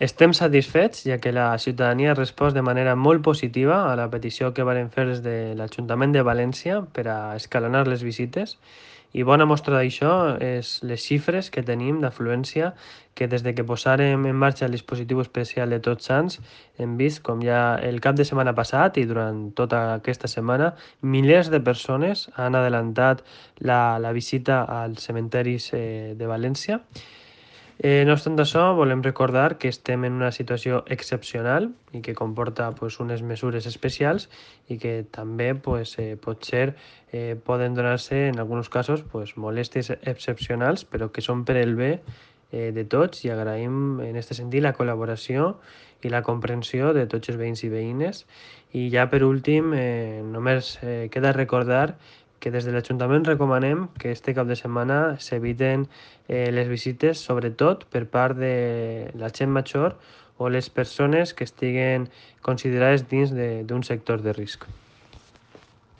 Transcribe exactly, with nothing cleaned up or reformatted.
Estem satisfets, ja que la ciutadania ha respost de manera molt positiva a la petició que varen fer des de l'Ajuntament de València per a escalonar les visites, i bona mostra d'això és les xifres que tenim d'afluència, que des de que posàrem en marxa el dispositiu especial de Tots Sants hem vist com ja el cap de setmana passat i durant tota aquesta setmana milers de persones han adelantat la, la visita als cementiris eh, de València. Eh, no obstant això, volem recordar que estem en una situació excepcional i que comporta pues, unes mesures especials i que també pues, eh, potser eh, poden donar-se en alguns casos pues, molèsties excepcionals, però que són per el bé eh, de tots, i agraïm en aquest sentit la col·laboració i la comprensió de tots els veïns i veïnes. I ja per últim, eh, només eh, queda recordar que des de l'Ajuntament recomanem que este cap de setmana s'eviten eh, les visites, sobretot per part de la gent major o les persones que estiguen considerades dins d'un sector de risc.